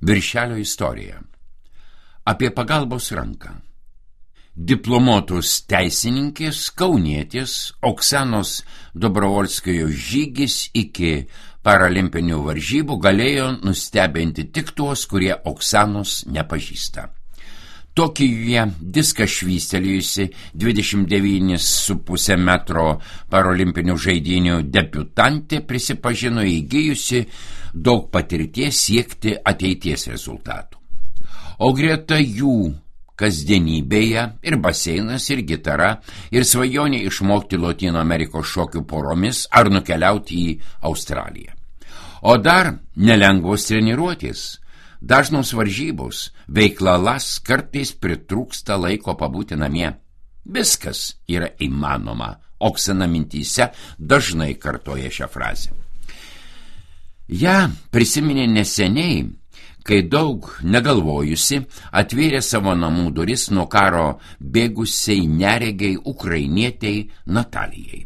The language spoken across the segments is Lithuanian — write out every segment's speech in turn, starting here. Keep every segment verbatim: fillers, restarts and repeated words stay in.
Viršelio istorija. Apie pagalbos ranką. Diplomuotos teisininkės, kaunietės Oksanos Dobrovolskajos žygis iki paralimpinių varžybų galėjo nustebinti tik tuos, kurie Oksanos nepažįsta. Tokijuje diską švystelėjusi dvidešimt devynis su puse metro paralimpinių žaidynių debiutantė prisipažino įgijusi daug patirties siekti ateities rezultatų. O greta jų kasdienybėje ir baseinas, ir gitara, ir svajonė išmokti Lotynų Amerikos šokių poromis ar nukeliauti į Australiją. O dar nelengvos treniruotės, dažnos varžybos, veiklalas, kartais pritrūksta laiko pabūti namie. Viskas yra įmanoma, Oksana mintyse dažnai kartoja šią frazę. Ja prisiminė neseniai, kai daug negalvojusi atvėrė savo namų duris nuo karo bėgusiai neregiai ukrainietei Natalijai.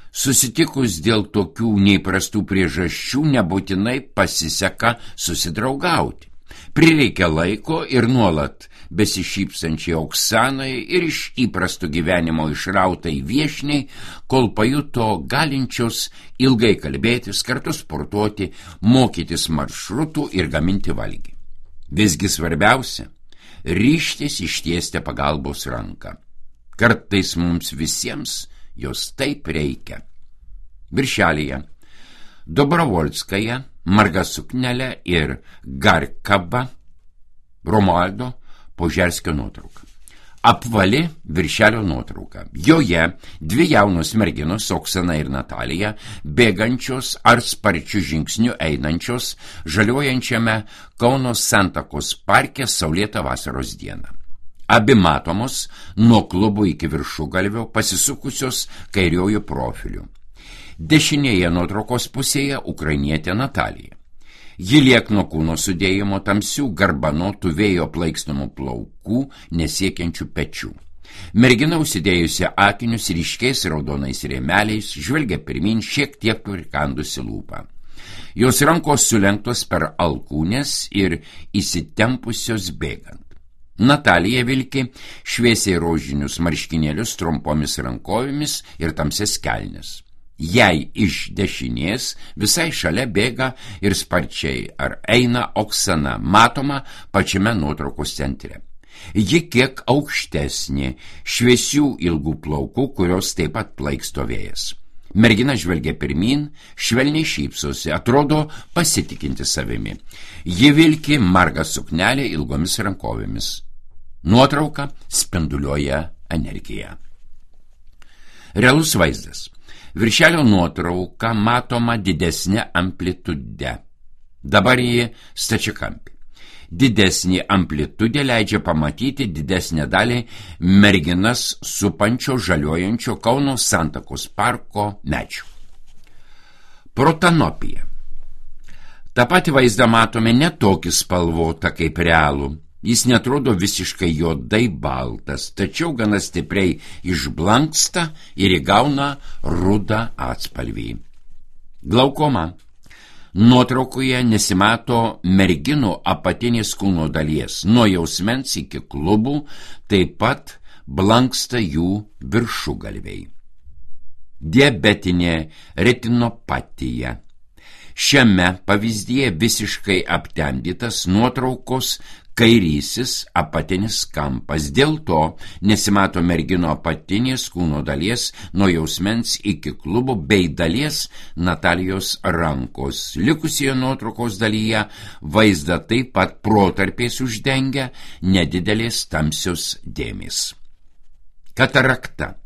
Susitikus dėl tokių neįprastų priežasčių nebūtinai pasiseka susidraugauti. Prireikia laiko ir nuolat besišypsančiai Oksanai ir iš įprastų gyvenimo išrautai viešniai, kol pajuto galinčios ilgai kalbėtis, kartu sportuoti, mokytis maršrutų ir gaminti valgį. Visgi svarbiausia – ryžtis ištiesti pagalbos ranką. Kartais mums visiems jos taip reikia. Viršelyje Dobrovolskaja, marga suknelė ir Garkaba, Romualdo Požerskio nuotrauka. Apvali viršelio nuotrauka. Joje dvi jaunos merginos, Oksana ir Natalija, bėgančios ar sparčių žingsnių einančios žaliuojančiame Kauno Santakos parke saulėtą vasaros dieną. Abi matomos nuo klubų iki viršugalvio pasisukusios kairiojų profilių. Dešinėje nuotraukos pusėje ukrainietė Natalija. Ji liekno kūno sudėjimo tamsių garbanotų vėjo plaikstomų plaukų, nesiekiančių pečių. Mergina užsidėjusi akinius ryškiais raudonais rėmeliais, žvelgia pirmin šiek tiek prikandusi lūpą. Jos rankos sulenktos per alkūnes ir įsitempusios bėgant. Natalija vilki šviesiai rožinius marškinėlius trumpomis rankovėmis ir tamsias kelnes. Jei iš dešinės visai šalia bėga ir sparčiai ar eina Oksana, matoma pačiame nuotraukos centre. Ji kiek aukštesnė, šviesių ilgų plaukų, kurios taip pat plaiksto vėjas. Mergina žvelgia pirmin, švelniai šypsosi, atrodo pasitikinti savimi. Ji vilki margą suknelę ilgomis rankovėmis. Nuotrauka spinduliuoja energiją. Realus vaizdas. Viršelio nuotrauka matoma didesnė amplitude. Dabar ji stačiakampė. Didesnė amplitudė leidžia pamatyti didesnę dalį merginas supančio žaliuojančio Kauno Santakos parko medžių. Protanopija. Ta pati vaizdą matome ne tokį spalvotą kaip realų. Jis netrodo visiškai juodai baltas, tačiau gana stipriai išblanksta ir įgauna rudą atspalvį. Glaukoma. Nuotraukoje nesimato merginų apatinės kūno dalies, nuo jausmens iki klubų, taip pat blanksta jų viršugalviai. Diabetinė retinopatija. Šiame pavyzdyje visiškai aptemdytas nuotraukos kairysis apatinis kampas. Dėl to nesimato mergino apatinės kūno dalies nuo jausmens iki klubų bei dalies Natalijos rankos. Likusioje nuotraukos dalyje vaizdą taip pat protarpiais uždengia nedidelės tamsios dėmės. Katarakta.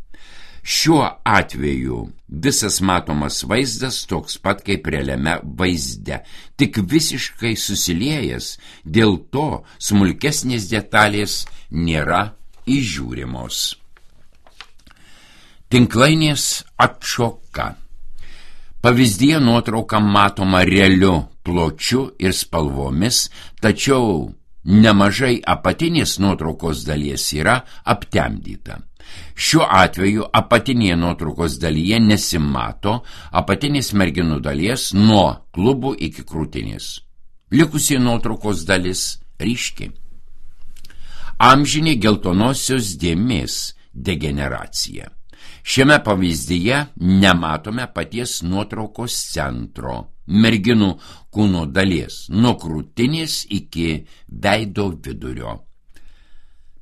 Šiuo atveju visas matomas vaizdas toks pat kaip realiame vaizde, tik visiškai susiliejęs, dėl to smulkesnės detalės nėra įžiūrimos. Tinklainės atšoka. Pavyzdyje nuotrauka matoma realiu pločiu ir spalvomis, tačiau nemažai apatinės nuotraukos dalies yra aptemdyta. Šiuo atveju apatinėje nuotraukos dalyje nesimato apatinės merginų dalies nuo klubų iki krūtinės. Likusi nuotraukos dalis ryški. Amžinė geltonosios dėmės degeneracija. Šiame pavyzdyje nematome paties nuotraukos centro, merginų kūno dalies, nuo krūtinės iki veido vidurio.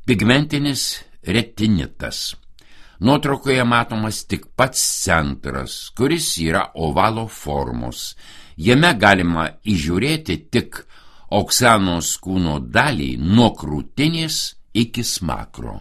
Pigmentinis retinitas. Nuotraukoje matomas tik pats centras, kuris yra ovalo formos. Jame galima įžiūrėti tik Oksanos kūno dalį nuo krūtinės iki smakro.